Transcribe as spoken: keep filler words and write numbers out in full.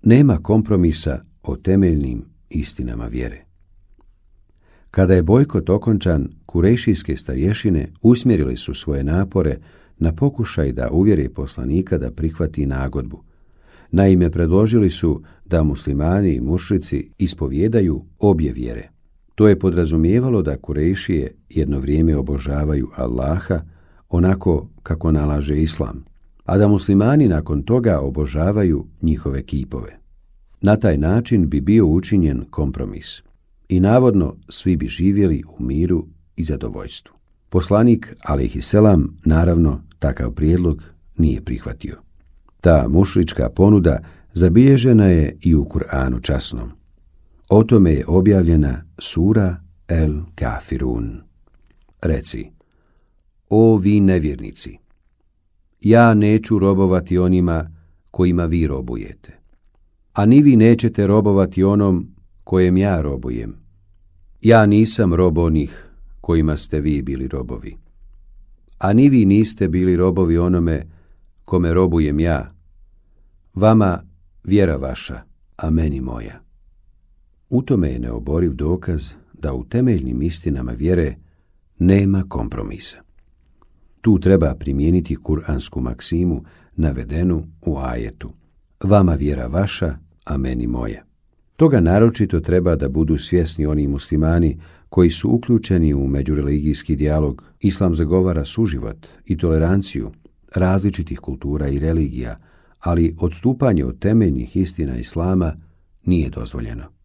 Nema kompromisa o temeljnim istinama vjere. Kada je bojkot okončan, kurejšijske starješine usmjerili su svoje napore na pokušaj da uvjere poslanika da prihvati nagodbu. Naime, predložili su da muslimani i mušrici ispovijedaju obje vjere. To je podrazumijevalo da Kurejšije jedno vrijeme obožavaju Allaha onako kako nalaže islam, a da muslimani nakon toga obožavaju njihove kipove. Na taj način bi bio učinjen kompromis i navodno svi bi živjeli u miru i zadovoljstvu. Poslanik, alejhiselam, naravno takav prijedlog nije prihvatio. Ta mušrička ponuda zabilježena je i u Kur'anu časnom. O tome je objavljena sura El Kafirun. Reci: O vi nevjernici, ja neću robovati onima kojima vi robujete, a ni vi nećete robovati onom kojem ja robujem. Ja nisam rob onih kojima ste vi bili robovi, a ni vi niste bili robovi onome kome robujem ja. Vama vjera vaša, a meni moja. U tome je neoboriv dokaz da u temeljnim istinama vjere nema kompromisa. Tu treba primijeniti kuransku maksimu navedenu u ajetu: vama vjera vaša, a meni moja. Toga naročito treba da budu svjesni oni muslimani koji su uključeni u međureligijski dijalog. Islam zagovara suživot i toleranciju različitih kultura i religija, ali odstupanje od temeljnih istina islama nije dozvoljeno.